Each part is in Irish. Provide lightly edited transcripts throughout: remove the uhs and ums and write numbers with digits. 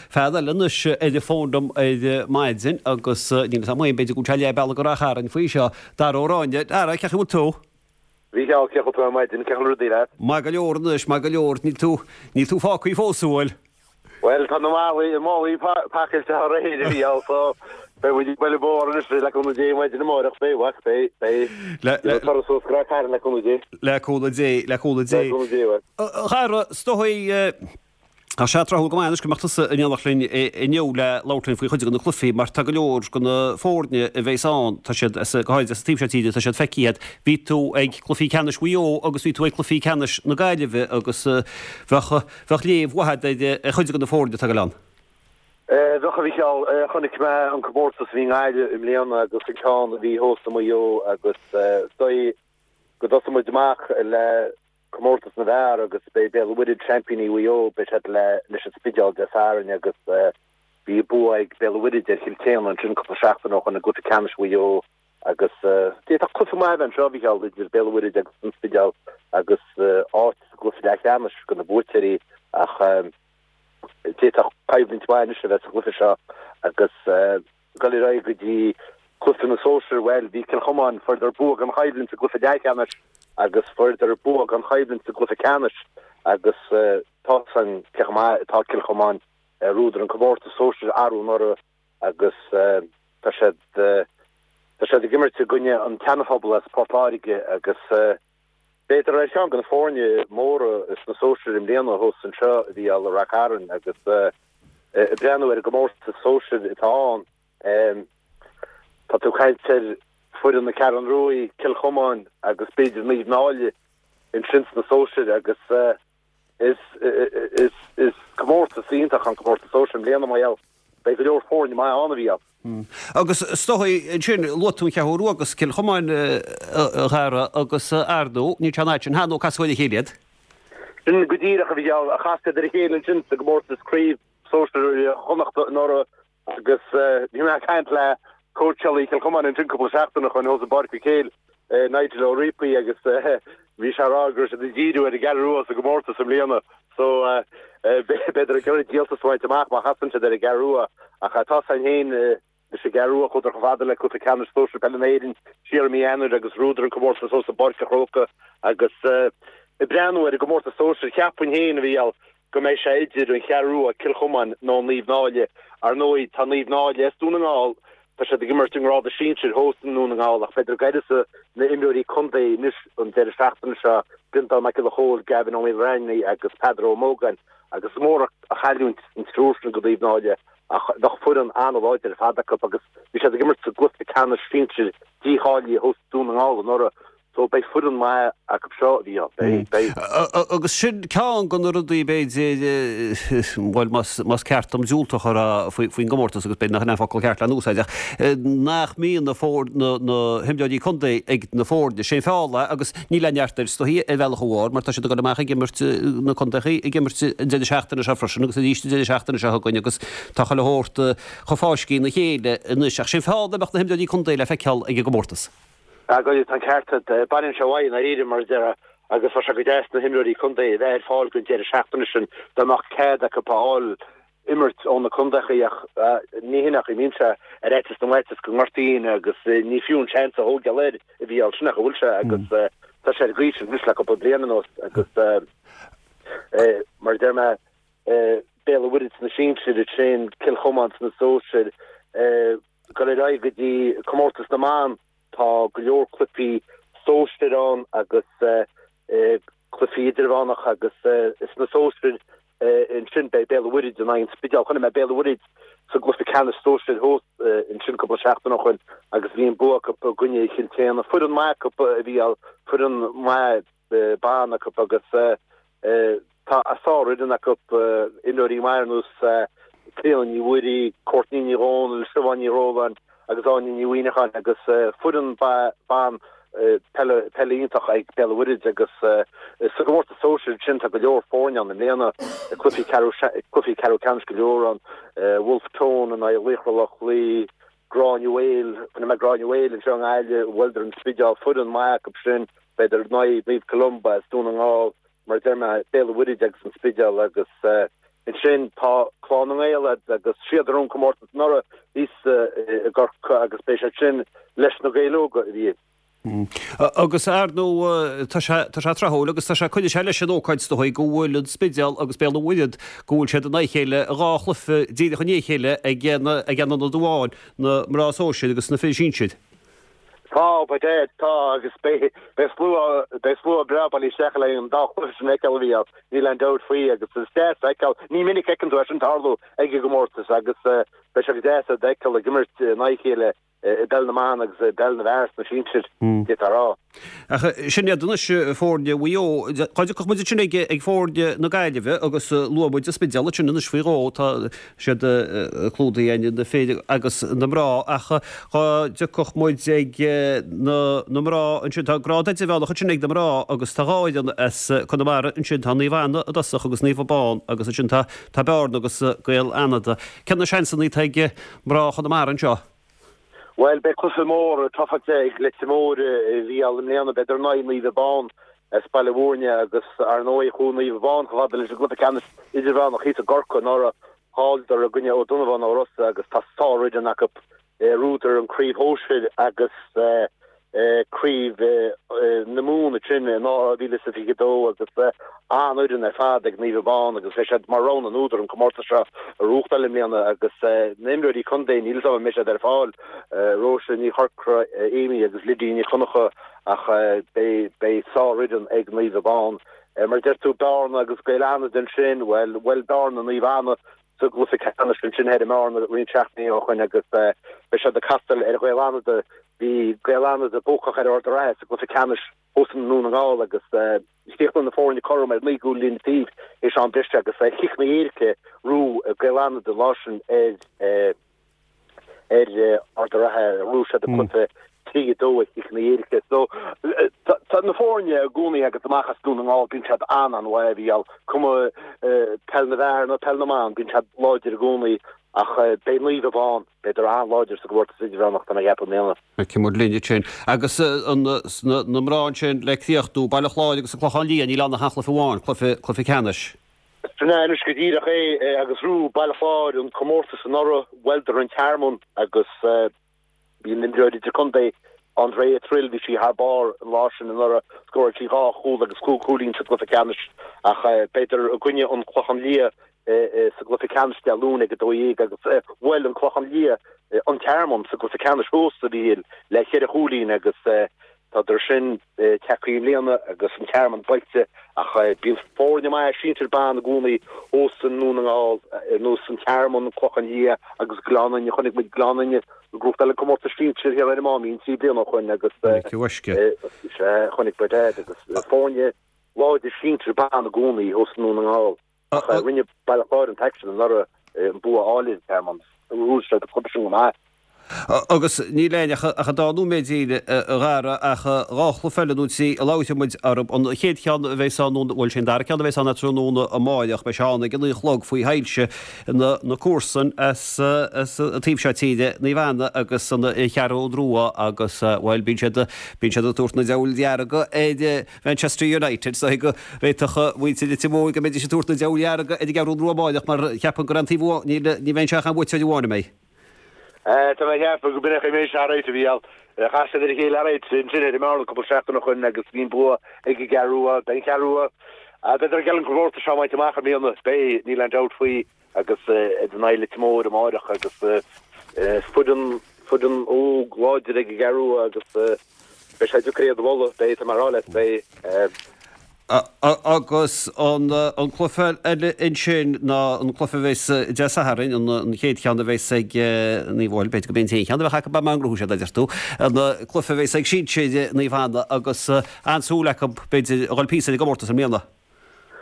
Fear eile anois ar an bhfón liom ar maidin agus níl 'fhios a'm b'fhéidir go bhfuil sé leath bealaigh go Rath Chairn faoi seo, Dara Ó Ráinne. Dara, cén chaoi a bhfuil tú? Mhícheál, cén chaoi a bhfuil tú ar maidin, cén chaoi a bhfuil rudaí leat? Maith go leor anois, maith go leor. Níl tú, níl tú fágtha fós, an bhfuil? Bhuel, tá na málaí, málaí pacáilte aréir, a Mhícheál, so beidh muid ag bualadh bóthar anois le cúnamh Dé maidin amárach, beidh, bhuel, beidh, beidh, Le, le, beidh turas suas go Rath Cairn le cúnamh Dé. Le cúnamh Dé, le cúnamh Dé. Le cúnamh Dé, bhuel. A Dhara, is dóigh, Tá sé tráthúil go maith anois go mbeadh tusa in éineacht linn inniu le labhairt linn faoi chuid de na cluichí mar tá go leor de na foirne a bheas ann, tá siad, go háirid as an taobh seo tíre, tá siad feicthe agat. Bhí tú ag cluichí ceannais Mhaigh Eo agus bhí tú ag cluichí ceannais na Gaillimhe agus bheadh, bheadh léamh mhaith agat ar chuid de na foirne atá ag dul ann. Bheadh, a Mhícheál. Chonaic mé an comórtas a bhí i nGaillimh i mbliana agus an ceann a bhí thuas i Maigh Eo agus is dóigh go dtosóidh muid amach le Comórtas na bhFear agus beidh Béal an Mhuirthead, seaimpíní Mhaigh Eo, beidh siad le leis an Spidéal Dé Sathairn agus bhí bua ag Béal an Mhuirthead ar Chill tSéadhna ansin cúpla seachtain ó shoin i gcluiche ceannais Mhaigh Eo agus d'fhéadfadh cluiche maith a bheith anseo, a Mhícheál, idir Béal an Mhuirthead agus an Spidéal agus áit sa gcluiche leathcheannais do na buaiteoirí ach d'fhéadfadh coimhlint mhaith anois a bheith sa gcluiche seo agus Dul ar aghaidh go dtí cluiche na sóisear, bhuel, bhí Cill Chomáin, fuaireadar bua gan choimhlint sa gcluiche leathcheannais agus fuaireadar bua gan choimhlint sa gcluiche ceannais agus tá 'fhios a'inn cé chomh maith atá Cill Chomáin. Bhuadar an comórtas sóisir arú anuraidh agus tá siad tá siad ag imirt i gcoinne an tSeanaphobal as Port Láirge agus b'fhéidir ar cheann de na foirne móra sna sóisir i mbliana thuas anseo a Mhícheál i Rath Cairn agus ag breathnú ar an gcomórtas sóisir atá ann, tá tú ag caint ar foireann na Ceathrún Rua, Cill Chomáin agus b'fhéidir Naomh Náille ansin sna sóisir agus is is is comórtas iontach an comórtas sóisir i mbliana mar gheall beidh go leor foirne maith ann a Mhícheál. Agus is dóigh ansin, luaigh tú an Cheathrú Rua agus Cill Chomáin a Dhara agus ar ndóigh, níl sé an fhad sin cheana ó casadh ar a chéile iad. Sin go díreach a Mhícheál, chas siad ar a chéile ansin sa gcomórtas craobh sóisir Chonnacht anuraidh agus bhí mé ag caint le cóitseálaí Chill Chomáin ansin cúpla seachtain ó shoin thuas i bPáirc Mhic Éil, Nigel Ó Riapaí agus bhí sé ag rá go raibh siad ag díriú ar an gCeathrú Rua sa gcomórtas i mbliana so b'fhéidir ag iarraidh díoltas a bhaint amach má chasann siad ar an gCeathrú Rua ach tá 'fhios a'inn féin leis an gCeathrú Rua, chuadar chomh fada le cluiche ceannais sóisir peile na hÉireann siar i mí Eanáir agus bhuadar an comórtas thuas i bPáirc an Chrócaigh agus ag breathnú ar an gcomórtas sóisir cheapfainn féin a Mhícheál go mbeidh sé idir an Cheathrú Rua, Cill Chomáin nó Naomh Náille. Ar ndóigh, tá Naomh Náille as Dún na nGall, tá siad ag imirt i ngrád a sinsir thuas i nDún na nGall ach beidh ag uireasa na imreoirí contae anois an deireadh seachtaine seo, Breandán Mac Giolla Chóill, Gavin Ó Maoilreamhnaigh agus Peadar Ó Mógáin agus is mór an chailliúint an triúr sin go Naomh Náille ach bheadh foireann an-láidir ar fad acu agus bhí siad ag imirt sa gcluiche ceannais sinsir dícháilithe thuas i Dún na nGall anuraidh So beidh foireann maith acu seo a bhí ann. Beidh, beidh. Agus sin ceann de na rudaí, b'fhéidir, bhuel, más ceart dom diúltach a rá faoin gcomórtas, agus b'fhéidir nach in é an focal ceart le n-úsáid, ach nach mbíonn na foirne, na himreoirí contae ag na foirne. Sé an feall é agus níl aon neart air is dóichí ar bhealach amháin mar tá siad ag dul amach ag imirt na contaethaí ag imirt an deireadh seachtaine seo freisin agus arís an deireadh seachtaine seo chugainn agus tá chuile shórt chomh fáiscthe ina chéile anois. Ach sé an feall nach mbeadh na himreoirí contae le feiceáil ag an gcomórtas. Agus tá an ceart agat. Baineann sé uaidh i ndáiríre, mar a déarfá, agus tá sé go deas na himreoirí contae a bheith ar fáil don deireadh seachtaine sin dá mbeadh cead acu a fháil imirt ó na contaechaí ach ní hin ach imíonn sé ar fhaitíos na bhfaitíos go ngortaíonn agus ní fiú an seans a thógáil air a Mhícheál, sin é a bhfuil sé agus tá sé ar an gcaoi sin anois le cúpla bliain anuas agus mar a deir mé Béal an Mhuirthead sna sinsir, ansin Cill Chomáin sna sóisir, dul ar aghaidh go dtí comórtas na mban. Tá go leor cluichí sóisir ann agus cluichí idirmheánach agus sna sóisir ansin beidh Béal an Mhuirthead in aghaidh an Spidéal. Chonaic mé Béal an Mhuirthead sa gcluiche ceannais sóisir thuas ansin cúpla seachtain ó shoin agus bhí an bua acu i gcoinne Chill tSéadhna. Foireann maith acu a Mhícheál, foireann maith ban acu agus Tá sárfhoireann acu, imreoirí maithe ar nós Clíona Ní Mhuirí, Courtney Ní Dhomhnaill, Siobhán Ní Dhróláin agus Áine Ní Mhuineacháin agus foireann ban peile iontach ag Béal an Mhuirthead agus sa gcomórtas sóisir sin tá go leor foirne ann i mbliana, cluichí ceathrú cluichí ceathrú ceannais go leor ann, Wolfe Tone in aghaidh Laochra Loch Lao, Gráinne Mhaol, chonaic mé Gráinne Mhaol anseo i nGaillimh, bhuaileadar an Spidéal, foireann maith acu sin, b'fhéidir in aghaidh Naomh Columba as Dún na nGall. Mar a deir mé, Béal an Mhuirthead agus an Spidéal agus. Ansin tá Clann na nGael agus siad a ghnóthaigh an comórtas anuraidh thíos i gCorcaigh agus beidh siad sin leis na Gaeil Óga, a Mhíchíl. Agus ar ndóigh tá sé tá sé tráthúil agus tá sé cuirfidh sé leis an ócáid is dóigh go bhfuil an Spidéal agus Béal an Mhuirthead go bhfuil siad in aghaidh a chéile i dhá chluiche díreach i ndiaidh a chéile ag ag aon ionad amháin, na mná sóisir agus na fir sinsir. Tá, by dad, tá agus beidh beidh slua beidh slua breá bailithe isteach le an dá chluiche sin a fheiceáil a Mhícheál, níl aon dabht faoi agus is deas a fheiceáil, ní minic a fheiceann tú é sin tarlú ag an gcomórtas agus beidh sé go deas iad a fheiceáil ag imirt in aghaidh a chéile i bpeil na mban agus i bpeil na bhfear sna sinsir, d'fhéadfá a rá. Ach sin iad anois foirne Mhaigh Eo. Cá dtiocfadh muid ansin ag foirne na Gaillimhe agus luaigh muid an Spidéal ansin anois faoi dhó, tá siad clúdaithe againn, na fir agus na mná, ach dhá dtiocfadh muid ag na mná ansin, tá grád idirmheánach ansin ag na mná agus tá dhá fhoireann as Conamara ansin, tá Naomh Anna i dtosach agus Naomh Abán agus ansin tá Bearna agus Gaeil Fhánada. Cé na seansanna atá ag mná Chonamara anseo? Bhuel, beidh cluiche mór tufailte ag Leitir Móir, a Mhícheál, i mbliana. Beidh in aghaidh Naomh Abán as Baile Mhúirne agus, ar ndóigh, chuaigh Naomh Abán chomh fada leis an gcluiche ceannais idirmheánach thíos i gCorcaigh anuraidh. Chailleadar i gcoinne O'Donovan ó Rossa agus tá sárfhoireann acu. Ghnóthaíodar an craobh shóisir agus craobh na Mumhan ansin in 2022 agus an-fhoireann ar fad ag Naomh Abán agus beidh siad mar rogha na n-údar an comórtas seo a ghnóthachtáil i mbliana agus na himreoirí contae, níl 'fhios agam an mbeidh siad ar fáil, Róise Ní Chorcra, Amy agus Liddy Ní Chonchú ach beidh sárfhoireann ag Naomh Abán. Mar a deir tú, Bearna agus Gaeil Fhánada ansin, bhuel, bhuail Bearna Naomh Anna sa gcluiche ceannais ansin thoir i mBearna roinnt seachtainí ó shoin agus beidh siad ag castáil ar Ghaeil Fhánada. Bhí Gaeil Fhánada buacach ar Ard an Rátha sa gcluiche ceannais thuas i nDún na nGall agus chríochnaigh na foirne cothrom ar naoi gcúilín an taobh théis am breise agus chríochnaigh éirice ghnóthaigh Gaeil Fhánada an lá sin ar ar Ard an Rátha, ghnóthaigh siad an cluiche 3, 2 ar chiceanna éirice. So, tá na foirne i gcónaí a thagann amach as Dún na nGall, bíonn siad an-an-mhaith, a Mhícheál. Cuma peil na bhfear nó peil na mban, bíonn siad láidir i gcónaí ach beidh Naomh Abán, beidh an-láidir sa gcomórtas idirmheánach, tá mé ag ceapadh i mbliana. Feicfidh muid linn ansin. Agus na mná ansin le críochnú, Baile Chláir agus an Clochán Liath, níl ann ach aon chluiche amháin, cluiche ceannais. Sin é anois go díreach é agus ghnóthaigh Baile Chláir an comórtas anuraidh, bhuaileadar an Tearmann agus bhí an imreoir idirchontae Andrea Trill, bhí sí thar barr an lá sin anuraidh, scóráil sí dhá chúl agus cúig chúilín sa gcluiche ceannais ach beidar i gcoinne an Clochán Liath sa gcluiche ceannais Dé Luain ag 12 agus bhuail an Clochán Liath an Tearmann sa gcluiche ceannais thuas, a Mhíchíl, le ceithre chúilín agus Tádar sin tagtha i mbliana agus an Tearmann buailte ach bíonn foirne maithe sinsir ban i gcónaí thuas i nDún na nGall ar nós an Tearmann, an Clochán Liath agus Gleann Fhinne. Chonaic muid Gleann Fhinne ag gnóthachtáil an comórtas sinsir thiar ar an Máimín 3 bliana ó shoin agus chonaic muid agus foirne láidir sinsir ban i gcónaí thuas i Ndún na nGall. Ach rinne Baile Chláir an t-aicsean anuraidh, an bua a fháil ar an Tearmann. Bhuail siad an cluiche sin go maith. Agus níl againn ach an dá nóiméad déag, a Dhara, ach dhá chluiche eile nó trí a labhróidh muid orthu. An chéad cheann a bheas ann, bhuel, sé an dara ceann a bheas ann tráthnóna amáireach, beidh sé ann ag a naoi a chlog faoi shoilse na comharsan as an taobh seo tíre, Naomh Anna agus an Cheathrú Rua agus, bhuel, bíonn siad, bíonn siad ag tabhairt na Diabhail Dhearga ar Manchester United, so go bhféadfadh muintir Leitir Móir go mbeidís ag tabhairt na Diabhail Dhearga ar an gCeathrú Rua amáireach mar cheapaim gur an taobh amháin, níl, ní bheidh anseo ach aon bhuaiteoir amháin a mbeidh. Tá mé ag ceapadh go b'in é anois alright a Mhícheál. Chas siad ar a chéile alright ansin ar an mBearna cúpla seachtain ó shoin agus bhí an bua ag an gCeathrú Rua. Beidh an Cheathrú Rua, beidh ag iarraidh an comórtas seo a bhaint amach i mbliana, beidh, níl aon dabht faoi. agus iad in aghaidh Leitir Móir amáireach agus foireann, foireann óg láidir ag an gCeathrú Rua agus beidh sé deacair iad a bhualadh, beidh, tá mé ag rá leat, beidh. Agus an cluiche eile ansin ná an cluiche a bheas Dé Sathairn, an chéad cheann a bheas ag Naomh, bhuel, b'fhéidir go b'é an t-aon cheann a bheadh acu má ghnóthaíonn siad, a deir tú, an cluiche a bheas ag sinsir Naomh Anna agus an-súil acu, b'fhéidir, a dhul píosa ar an gcomórtas i mbliana.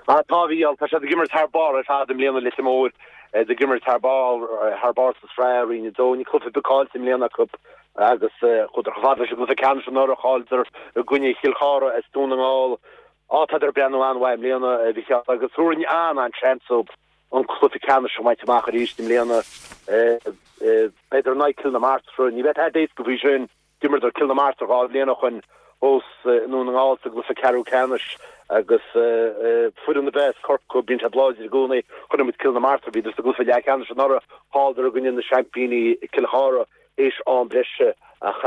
Tá, a Mhícheál, tá siad ag imirt thar barr ar fad i mbliana, Leitir Móir, iad ag imirt thar barr, thar barr sa tsraith, Roinn 2. Níl cluiche caillte i mbliana acu agus chuadar chomh fada leis an gcluiche ceannais anuraidh, chailleadar i gcoinne Chill Chartha as Dún na nGall. Á, tádar ag breathnú an-mhaith i mbliana, a Mhícheál, agus thabharfainn an-an-seans dóibh an cluiche ceannais a bhaint amach arís i mbliana. Beidar in aghaidh Cill na Martra, ní bheidh tada éasca faoi sin. D'imríodar Cill na Martra dhá bhliain ó shoin. Thuas i nDún na nGall sa gcluiche ceathrú ceannais agus foireann a bheas Corcaigh, bíonn siad láidir i gcónaí. Chonaic muid Cill na Martra, bhíodar sa gcluiche leathcheannais anuraidh, chailleadar i gcoinne na seaimpíní Cill Chartha théis am breise ach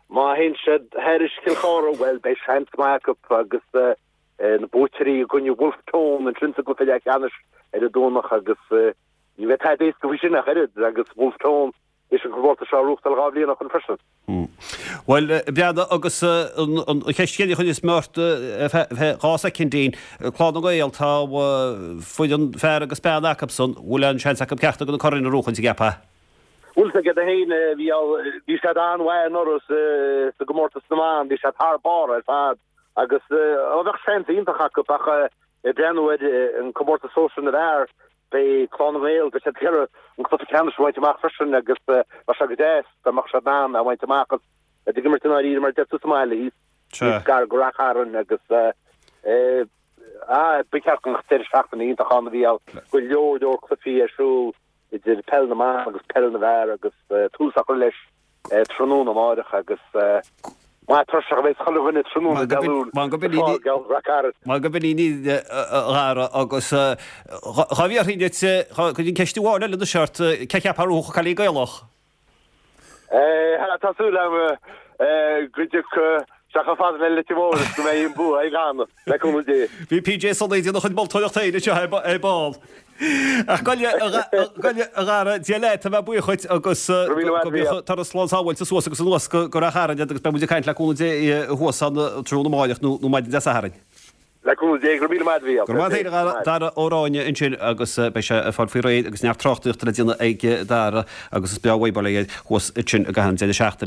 má théann siad thairis Cill Chartha, bhuel beidh seans maith acu agus na buaiteoirí i gcoinne Wolfe Tone ansin sa gcluiche leathcheannais ar an Domhnach agus ní bheidh tada éasca faoi sin ach oiread agus Wolfe Tone théis an comórtas seo a ghnóthachtáil 2 bhliain ó shin freisin. Bhuel, a Bhreandáin, agus an cheist chéanna a choinneos mé ort ar feadh 2 soicindín, Clann na nGael, tá foireann fear agus bean acusan, bhfuil aon seans acu ceachtar de na coirn a ghnóthachaint, an gceapfá? Bhuel, tá agat féin, bhí siad an-mhaith anuraidh sa gcomórtas na mban, bhí siad thar barr ar fad agus bheadh seans iontach acu ach ag breathnú ar an comórtas sóisir na bhfear, Beidh Clann na nGael, beidh siad ag iarraidh an cluiche ceannais a bhaint amach freisin agus bheadh sé go deas dá mbeadh siad in ann é a bhaint amach agus iad ag imirt i ndáiríre mar a deir tú sa mbaile thíos thíos gar go Rath Chairn agus ah ba cheart go mbeadh deireadh seachtaine iontach ann a Mhícheáil, go leor leor cluichí ar siúl idir peil na mban agus peil na bhfear agus tús á chur leis tráthnóna amáireach agus maith tuirseach a bheidh chuile dhuine tráthnóna Dé Luain ag fágáil Rath Cairn. Maith go bhfiníní a Dhara agus dhá bhfiafraí duit, go dtí an ceist amháin eile anois ort, cé cheapfá a ghnóthódh Cailín Gaelach? Tá súil agam go dtiocfaidh sé chomh fada le Leitir Móir is go mbeidh an bua ag Anna, le cúnamh Dé. Bhí PJ Sonaí ag déanamh a chuid moltóireachta féin anseo ar ball. Ach gabh i leith, a Dhara, Dia leat, tá mé buíoch dhuit agus go mbíodh turas slán sábháilte suas agus anuas go Rath Chairn agus beidh muid ag caint le cúnamh Dé thuas ann tráthnóna amáireach nó maidin Dé Sathairn. Le cúnamh Dé, go raibh míle maith agat, a Mhícheáil. Go raibh maith agat féin, a Dhara. Dara Ó Ráinne ansin agus beidh sé ag fáil faoi réir agus neart tráchtaireachta le déanamh ag Dara agus is breá uaidh bail ó Dhia air thuas ansin i gcaitheamh an deireadh seachtaine.